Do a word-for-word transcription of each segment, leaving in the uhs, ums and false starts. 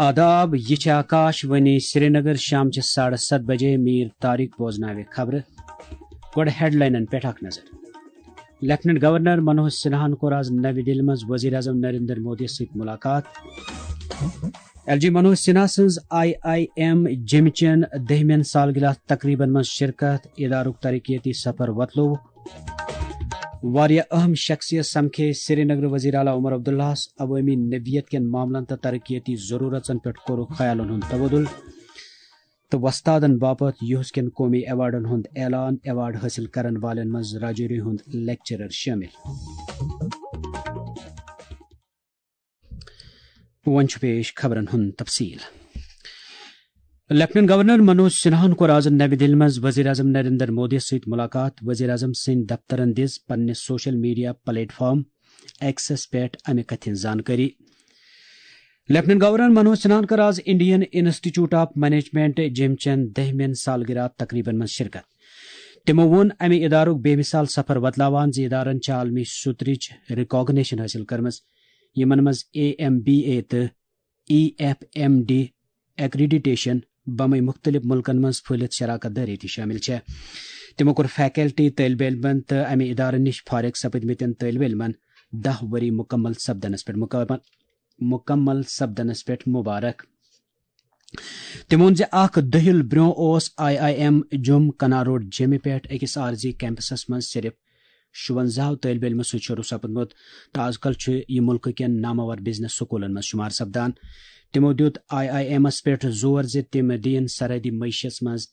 آداب، یہِ چھِ آکاش وانی سرینگر۔ شام چہِ ساڑٕ ستھ بجے۔ میٖر طارق بوزناوِ خبرٕ۔ گۄڈٕ ہیڈلاینن پٮ۪ٹھ اکھ نظر۔ لیفٹیننٹ گورنر منوج سنہاہن کوٚر آز نوِ دِلہِ منٛز وزیر اعظم نریندر مودی سۭتۍ ملاقات۔ ایل جی منوج سنہا سٕنٛز آئی آئی ایم جیٚمہِ چٮ۪ن دٔہمٮ۪ن سالگرہ تقریبن منٛز شرکت، ادارُک ترقیتی سفر وۄتلووُکھ۔ واریاہ اہم شخصیت سمکھے سرینگر وزیر اعلیٰ عمر عبداللہس عوٲمی نوعیت کٮ۪ن معاملن تہٕ ترقیتی ضرورژن پٮ۪ٹھ کوٚرُکھ خیالن ہُنٛد تبادلہٕ تہٕ وۄستادن باپتھ یُہس کٮ۪ن قومی ایوارڈن ہُنٛد اعلان۔ ایوارڈ حٲصِل کرن والٮ۪ن منٛز راجوری ہُنٛد لیکچرر شٲمِل۔ وۄنۍ چھُ پیش خبرن ہُنٛد تفصیل۔ لیفٹیننٹ گورنر منوج سنہاہن کوٚر آز نوِ دِلہِ منٛز وزیر اعظم نریندر مودی سۭتۍ ملاقات۔ وزیر اعظم سٕنٛدۍ دفترن دِژ پننِس سوشل میڈیا پلیٹ فارم ایکسس پٮ۪ٹھ امہِ کتھِ ہٕنٛز زانکٲری۔ لیفٹیننٹ گورنر منوج سنہاہن کٔر آز انڈین انسٹیٹیوٹ آف مینجمنٹ جیٚمہِ چٮ۪ن دٔہمٮ۪ن سالگرہ تقریبن منٛز شرکت۔ تِمو ووٚن امہِ ادارُک بے مثال سفر وۄتلاوان زِ ادارن چھِ عالمی سطرٕچ ریکگنیشن حٲصِل کٔرمٕژ، یِمن منٛز اے ایم بی اے تہٕ E F M D accreditation بمے مُختٔلِف مُلکن منٛز پھٔہلِتھ شراکت دٲری تہِ شٲمِل چھےٚ۔ تِمو کوٚر فیکلٹی، طٲلبہِ علمن تہٕ امہِ ادارٕ نِش فارغ سپٕدمٕتٮ۪ن طٲلبہِ علمن دَہ ؤری مُکمل سپدنس پٮ۪ٹھ مُکمل، مُکمل سپدنس پٮ۪ٹھ مُبارک۔ تِمو ووٚن زِ اکھ دٔہِل برٛونٛہہ اوس آئی آئی ایم جوٚم کنا روڈ جیٚمہِ پٮ۪ٹھ أکِس عارضی کیمپسس منٛز صرف شُوَنزاہ طٲلبہِ علمہٕ سۭتۍ شروٗع سپُدمُت تہٕ از کل چھُ یہِ مُلکہٕ کٮ۪ن نامور بزنس سکوٗلن منٛز شُمار سپدان۔ تِمو دیُت آئی آئی ایمس پٮ۪ٹھ زور زِ تِم دِیِن سرحدی معیشتس منٛز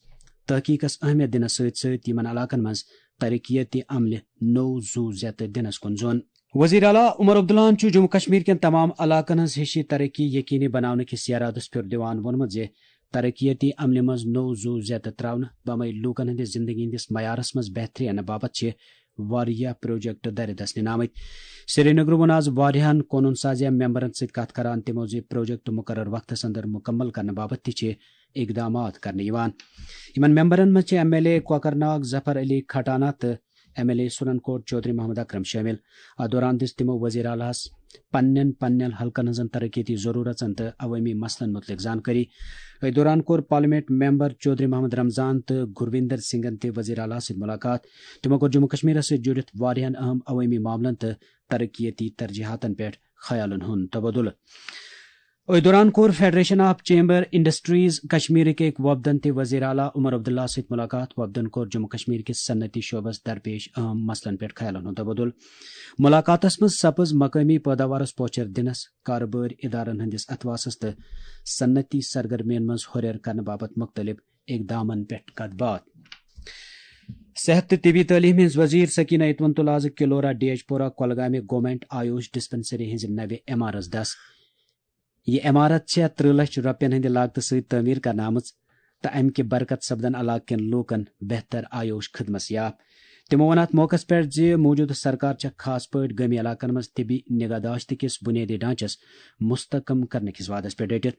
تحقیقس اہمیت دِنس سۭتۍ سۭتۍ یِمن علاقن منٛز ترقیتی عملہِ نوٚو زُو زیتہٕ دِنس کُن زون۔ وزیر اعلیٰ عمر عبداللہن چھُ جموں کشمیر کٮ۪ن تمام علاقن ہٕنٛز ہِشی ترقی یقینی بناونہٕ کِس یرادس پھیُر دِوان ووٚنمُت زِ ترقیتی عملہِ منٛز نوٚو زُو زیتہٕ ترٛاونہٕ بمے لوٗکن ہٕنٛدِس زندگی ہٕنٛدِس معیارس منٛز بہتری اننہٕ باپتھ چھِ واریاہ پروجیکٹ دَرِ دَسنہِ آمٕتۍ۔ سرینگرٕ ووٚن آز واریاہن قونوٗن سازیہ ممبرن سۭتۍ کتھ کران تِمو زِ پروجیکٹ مقرر وقتس اندر مکمل کرنہٕ باپتھ تہِ چھِ اقدامات کرنہٕ یِوان۔ یِمن ممبرن منٛز چھِ ایم ایل اے کوکرناگ ظفر علی کھٹانہ تہٕ ایم ایل اے سُرن کوٹ چودھری محمد اکرم شٲمِل۔ اتھ دوران دِژ تِمو وزیر اعلیٰ ہس پننٮ۪ن پننٮ۪ن حلقن ہٕنٛزن ترقیتی ضروٗرژن تہٕ عوٲمی مسلن مُتعلق زانکٲری۔ أتھۍ دوران کوٚر پارلیمنٹ ممبر چودھری محمد رمضان تہٕ گرویندر سنگھن تہِ وزیر اعلیٰ سۭتۍ مُلاقات۔ تِمو کوٚر جموں کشمیرس سۭتۍ جُڑِتھ واریاہن اہم عوٲمی معاملن تہٕ ترقیتی ترجیحاتن پٮ۪ٹھ خیالن ہُنٛد تبادلہٕ۔ أتھۍ دوران کوٚر فیڈریشن آف چیمبر انڈسٹریز کشمیرٕکۍ أکۍ وفدن تہِ وزیر اعلیٰ عمر عبداللہ سۭتۍ مُلاقات۔ وفدن کوٚر جموں کشمیر کِس صنعتی شعبس درپیش اہم مسلن پٮ۪ٹھ خیالن ہُنٛد تبادلہٕ۔ مُلاقاتس منٛز سپٕز مقٲمی پٲداوارس پوچھر دِنس، کارٕبٲرۍ ادارن ہٕنٛدِس اتھواسس تہٕ صنعتی سرگرمین منٛز ہُرٮ۪ر کرنہٕ باپتھ مُختٔلِف اقدامن پٮ۪ٹھ کتھ باتھ۔ صحت تہٕ طبی تعلیٖم ہٕنٛز وزیر سکینہ اتوَن تُل آز کلورا ڈیجپورہ کۄلگامہِ گورنمنٹ آیوش ڈسپنسری ہٕنٛزِ نوِ عمارژ دس۔ یہِ عمارت چھےٚ ترٕہ لچھ رۄپین ہٕنٛدِ لاگتہٕ سۭتۍ تعمیٖر کرنہٕ آمٕژ تہٕ امہِ کہِ برکت سپدن علاقہٕ کٮ۪ن لوٗکن بہتر آیوش خدمت یاب۔ تِمو ووٚن اتھ موقعس پٮ۪ٹھ زِ موٗجوٗدٕ سرکار چھےٚ خاص پٲٹھۍ گٲمی علاقن منٛز طبی نگہداشت کِس بُنیٲدی ڈھانچس مستحکم کرنہٕ کِس وعدس پٮ۪ٹھ ڈٔٹِتھ۔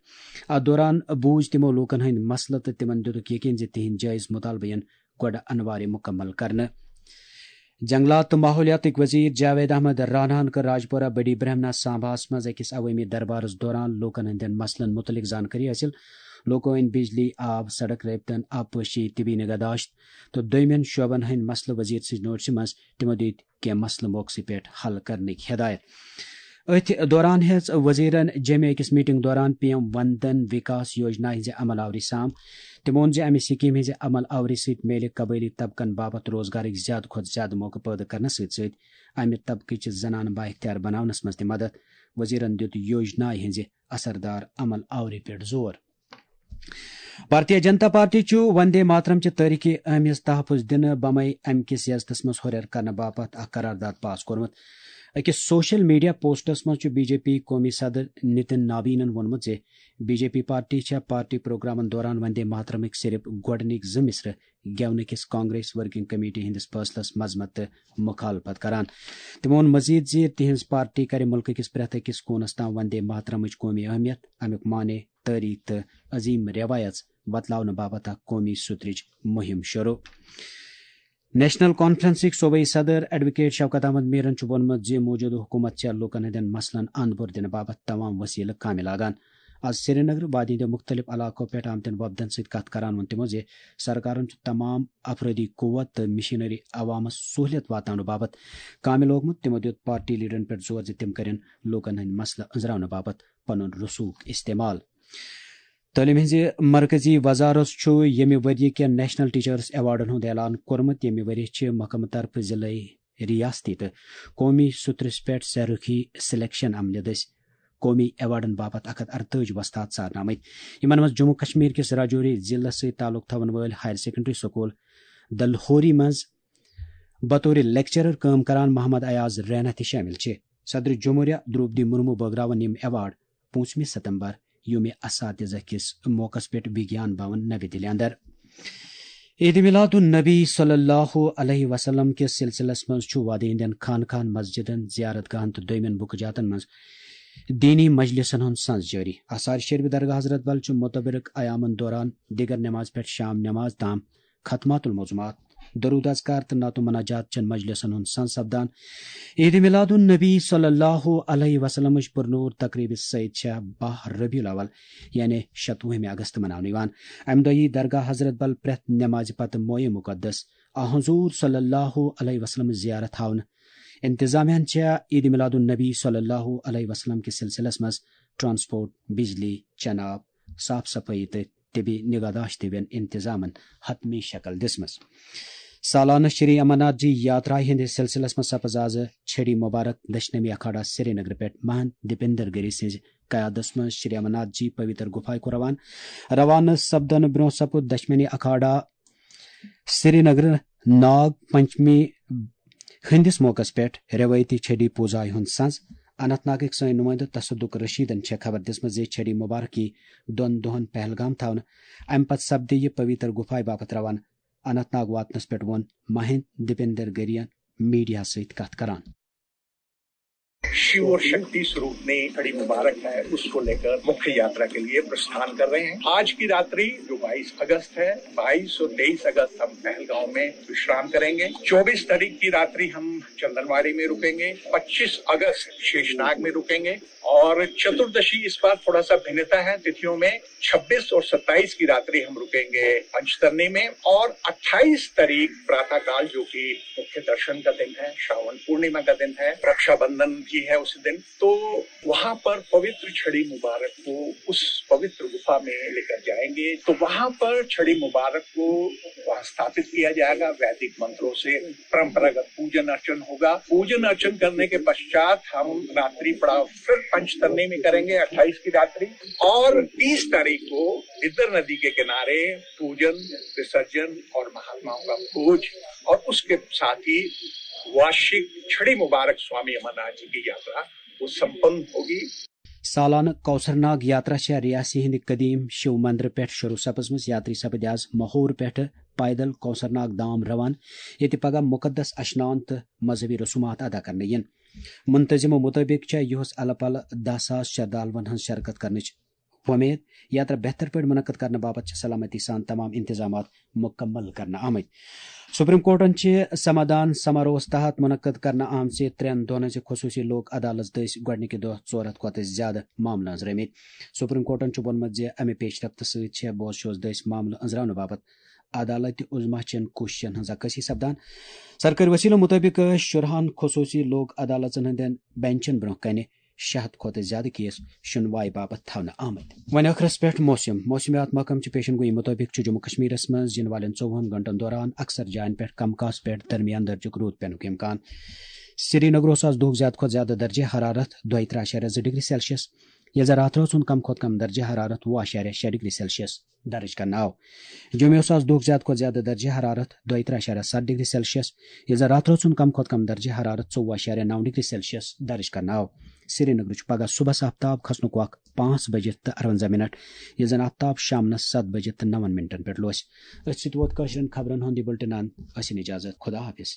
اتھ دوران بوٗز تِمو لوٗکن ہٕنٛدۍ مسلہٕ تہٕ تِمن دِتُکھ یقین زِ تِہنٛدۍ جٲیز مطالبہٕ یِن گۄڈٕ انوارِ مکمل کرنہٕ۔ جنگلات تہٕ ماحولیاتٕکۍ وزیر جاوید احمد راناہن کٔر راجپورہ بڑی برہمنا سانباہس منٛز أکِس عوٲمی دربارس دوران لوٗکن ہٕنٛدٮ۪ن مسلن مُتعلق زانکٲری حٲصِل۔ لوٗکو أنۍ بجلی، آب، سڑک رٲبطن، آبپاشی، طبی نگہداشت تہٕ دوٚیمٮ۪ن شعبن ہٕنٛدۍ مسلہٕ وزیر سٕنٛزِ نوٹسہِ منٛز۔ تِمو دِتۍ کینٛہہ مسلہٕ موقعہٕ پٮ۪ٹھ حل کرنٕکۍ ہدایت۔ أتھۍ دوران ہیٚژ وزیرن جیٚمہِ أکِس میٹنگ دوران پی ایم وندن وکاس یوجنا ہٕنٛزِ عمل آوری سام۔ تِمو ووٚن زِ امہِ سکیٖم ہٕنٛزِ عمل آوری سۭتۍ میلہِ قبٲیلی طبقن باپتھ روزگارٕکۍ زیادٕ کھۄتہٕ زیادٕ موقعہٕ پٲدٕ کرنہٕ سۭتۍ سۭتۍ امہِ طبقٕچہِ زنانہٕ بااختیار بناونس منٛز تہِ مدد۔ وزیرن دِیُت یوجنایہِ ہٕنٛزِ اثردار عمل آوری پٮ۪ٹھ زور۔ بھارتیہ جنتا پارٹی چھُ وندے ماترم چہِ تٲریخی اہمیت تحفظ دِنہٕ بمے امہِ کِس یزتس منٛز ہُرٮ۪ر کرنہٕ باپتھ اکھ قرارداد پاس کوٚرمُت۔ أکِس سوشل میڈیا پوسٹس منٛز چھُ بی جے پی قومی صدر نتن نابینن ووٚنمُت زِ بی جے پی پارٹی چھےٚ پارٹی پروگرامن دوران وندے ماترمٕکۍ صرف گۄڈٕنِکۍ زٕ مصرٕ گٮ۪ونہٕ کِس کانگریس ورکنگ کمیٹی ہٕنٛدِس فٲصلس مذمت تہٕ مخالفت کران۔ تِمو ووٚن مزید زِ تِہنٛز پارٹی کرِ مُلکہٕ کِس پرٛٮ۪تھ أکِس کوٗنس تام وندے ماترمٕچ قومی اہمیت، امیُک معنی، تٲریخ تہٕ عظیم روایژ وۄتلاونہٕ باپتھ اکھ قومی سُترٕچ مُہِم شروع۔ نیشنل کانفرنسٕکۍ صوبٲئی صدر ایڈووکیٹ شوکت احمد میرن چھُ ووٚنمُت زِ موٗجوٗدٕ حکوٗمت چھےٚ لوٗکن ہٕنٛدٮ۪ن مسلن اند پور دِنہٕ باپتھ تمام وسیلہٕ کامہِ لاگان۔ آز سرینگر وادی ہٕنٛدیو مُختٔلِف علاقو پٮ۪ٹھ آمتٮ۪ن وۄپدن سۭتۍ کتھ کران ووٚن تِمو زِ سرکارن چھُ تمام افرٲدی قوت تہٕ مشینری عوامس سہولیت واتناونہٕ باپتھ کامہِ لوگمُت۔ تِمو دیُت پارٹی لیڈرن پٮ۪ٹھ زور زِ تِم کرن لوٗکن ہٕنٛدۍ مسلہٕ أنزراونہٕ باپتھ پنُن رسوخ استعمال۔ تعلیٖم ہٕنٛزِ مرکزی وزارت چھُ ییٚمہِ ؤرۍ یہِ کٮ۪ن نیشنل ٹیچرس ایوارڈن ہُنٛد اعلان کوٚرمُت، ییٚمہِ ؤرۍ یہِ چھِ محکمہٕ طرفہٕ ضلعی، ریاستی تہٕ قومی سطرس پٮ۪ٹھ سرُخی سلیکشن عملہِ دٔسۍ قومی ایوارڈن باپتھ اکھ ہتھ ارتٲجی وۄستاد ژارنہٕ آمٕتۍ، یِمن منٛز جموں کشمیر کِس راجوری ضلعس سۭتۍ تعلق تھاون وٲلۍ ہایر سیکنڈری سکول دلہوری منٛز بطور لیکچرر کٲم کران محمد ایاز رینا تہِ شٲمِل چھِ۔ صدر جمہوریہ درٛوپدی مرمو بٲگراوَن یِم ایوارڈ پوٗنٛژمہِ ستمبر یوم اساتذہ کِس موقعس پٮ۪ٹھ وگیان بھون نوِ دِلہِ اندر۔ عید میلاد النبی صلی اللہ علیہ وسلم کِس سلسلس منٛز چھُ وادی ہٕنٛدٮ۪ن خانقاہن، مسجدن، زیارت گاہن تہٕ دویمٮ۪ن بُکہٕ جاتن منٛز دینی مجلسن ہُنٛد سنز جٲری۔ آثار شریف درگاہ حضرت بل چھُ متبرک ایامن دوران دِگر نماز پٮ۪ٹھ شام نماز تام ختمات الموضوعات، درود اذکار تہٕ نعت و مناجات چٮ۪ن مجلسن ہُنٛد سنز سپدان۔ عید میلاد النبی صلی اللہ علیہ وسلمٕچ پرنور تقریبہِ سۭتۍ چھےٚ باہ ربیع الاول، یعنی شتوُہمہِ اگست مناونہٕ یِوان۔ امہِ دۄہ یی درگاہ حضرت بل پرٛٮ۪تھ نمازِ پتہٕ مویہِ مقدس آ حضور صلی اللہ علیہ وسلم زیارت تھاونہٕ۔ انتظامیہ ہن چھےٚ عید میلاد النبی صلی اللہ علیہ وسلم کِس سلسلس منٛز ٹرانسپورٹ، بجلی، چنہٕ آب، صاف صفٲیی تہٕ طبی نگہداشت ہِوٮ۪ن انتظامن حتمی شکل دِژمٕژ۔ سالانہٕ شری امرناتھ جی یاترا ہٕنٛدِس سلسلس منٛز سپز آز چھڑی مبارک دشنمی اکھاڑا سرینگر پٮ۪ٹھ مہنت دیپندر گری سٕنٛزِ قیادتس منٛز شری امرناتھ جی پویتر گُفایہِ کوٚر روانہٕ۔ روانہٕ سپدنہٕ برٛونٛہہ سپُد دشنمی اکھاڑا سرینگر ناگ پنچمی ہٕنٛدِس موقعس پٮ۪ٹھ روایتی چھڑی پوٗزایہِ ہُنٛد سنز۔ اننت ناگٕکۍ سٲنۍ نُمٲیندٕ تصدق رشیدن چھےٚ خبر دِژمٕژ زِ چھڑی مبارک یی دۄن دۄہن پہلگام تھاونہٕ۔ امہِ پتہٕ سپدِ یہِ پویتر گُفایہِ باپتھ روانہٕ۔ اننت ناگ واتنس پٮ۪ٹھ ووٚن مہند دیپندر گرین میڈیاہس سۭتۍ کتھ کران۔ शिव और शक्ति स्वरूप ने छड़ी मुबारक है, उसको लेकर मुख्य यात्रा के लिए प्रस्थान कर रहे हैं। आज की रात्रि जो बाईस अगस्त है, बाईस और तेईस अगस्त हम पहलगांव में विश्राम करेंगे। चौबीस तारीख की रात्रि हम चंदनवाड़ी में रुकेंगे, पच्चीस अगस्त शेषनाग में रुकेंगे और चतुर्दशी इस बार थोड़ा सा भिन्नता है तिथियों में। छब्बीस और सत्ताईस की रात्रि हम रुकेंगे पंचतरणी में और अट्ठाईस तारीख प्रातःकाल, जो कि मुख्य दर्शन का दिन है, श्रावण पूर्णिमा का दिन है, रक्षाबंधन भी है उसी दिन, तो वहां पर पवित्र छड़ी मुबारक को उस पवित्र गुफा में लेकर जाएंगे। तो वहां पर छड़ी मुबारक को वहां स्थापित किया जाएगा, वैदिक मंत्रों से परंपरागत पूजन अर्चन होगा। पूजन अर्चन करने के पश्चात हम रात्रि पड़ाव फिर पंचतरणी में करेंगे अट्ठाईस की रात्रि, और तीस तारीख को बिद्दर नदी के किनारे पूजन, विसर्जन और महात्माओं का भोज, और उसके साथ ही वार्षिक छड़ी मुबारक स्वामी अमरनाथ जी की यात्रा वो संपन्न होगी। سالانہٕ کوثر ناگ یاترا چھےٚ ریاسی ہٕنٛدِ قدیٖم شِو مندرٕ پٮ۪ٹھ شروٗع سپٕزمٕژ۔ یاتری سپٕدۍ آز ماحور پٮ۪ٹھٕ پیدل کوثر ناگ دام روان، ییٚتہِ پگاہ مُقدس اشنان تہٕ مذہبی رسومات ادا کرنہٕ یِن۔ منتظمو مُطٲبِق چھےٚ یُہُس الہٕ پلہٕ دَہ ساس شردالوَن ہٕنٛز شرکت کرنٕچ وۄمید۔ یاترا بہتر پٲٹھۍ منعقد کرنہٕ باپتھ چھِ سلامتی سان تمام انتظامات مُکمل کرنہٕ آمٕتۍ۔ سپریم کورٹن چھِ سمادھان سماروہس تحت منعقد کرنہٕ آمژِ ترٛٮ۪ن دۄہن ہٕنٛزِ خصوٗصی لوک عدالژ دٔسۍ گۄڈٕنِکہِ دۄہ ژور ہتھ کھۄتہٕ زیادٕ معاملہٕ أنٛزرٲومٕتۍ۔ سپریم کورٹن چھُ ووٚنمُت زِ امہِ پیش رفت سۭتۍ چھےٚ بوز شوز دٔسۍ معاملہٕ أنٛزراونہٕ باپتھ عدالت عظمیٰ چٮ۪ن کوٗششن ہٕنٛز عکٲسی سپدان۔ سرکٲرۍ وسیلو مُطٲبِق ٲسۍ شُرہن خصوٗصی لوک عدالژن ہٕنٛدٮ۪ن بینچن برٛونٛہہ کنہِ شےٚ ہتھ کھۄتہٕ زیادٕ کیس شُنوایہِ باپتھ تھاونہٕ آمٕتۍ۔ وۄنۍ ٲخرس پٮ۪ٹھ موسم۔ موسمیات محکمہٕ چہِ پیشن گویی مُطٲبِق چھُ جموں کشمیرس منٛز یِنہٕ والٮ۪ن ژوٚوُہن گھنٹن دوران اکثر جاین پٮ۪ٹھ کم کاس پٮ۪ٹھ درمیان درجُک روٗد پینُک امکان۔ سرینگرس آز دُہُک زیادٕ کھۄتہٕ زیادٕ درجہ حرارت دۄیہِ ترٕٛہ اعشاریہ زٕ ڈگری سیلسیس، ییٚلہِ زن راتھ رٲژ ہُنٛد کم کھۄتہٕ کم درجہ حرارت وُہ اعشاریہ شےٚ ڈگری سیلسیس درج کرنہٕ آو۔ جوٚمیوس آز دُہُک زیادٕ کھۄتہٕ زیادٕ درجہ حرارت دۄیہِ ترٕٛہ اعشاریہ ستھ ڈگری سیلسیس، ییٚلہِ زن راتھ رٲژ ہُنٛد کم کھۄتہٕ کم درجہ حرارت ژوٚوُہ اعشاریہ نَو ڈگری سیلسیس درج کرنہٕ آو۔ سرینگرٕ چھُ پگاہ صُبحس آفتاب کھسنُک وق پانٛژھ بجِتھ تہٕ اَرونٛزاہ منٹ، ییٚلہِ زن آفتاب شامنس ستھ بجِتھ تہٕ نَون منٹن پٮ۪ٹھ لوسہِ۔ أتھۍ سۭتۍ ووت کٲشرٮ۪ن خبرن ہُنٛد یہِ بُلٹن اند۔ ٲسِن اجازت۔ خدا حافظ۔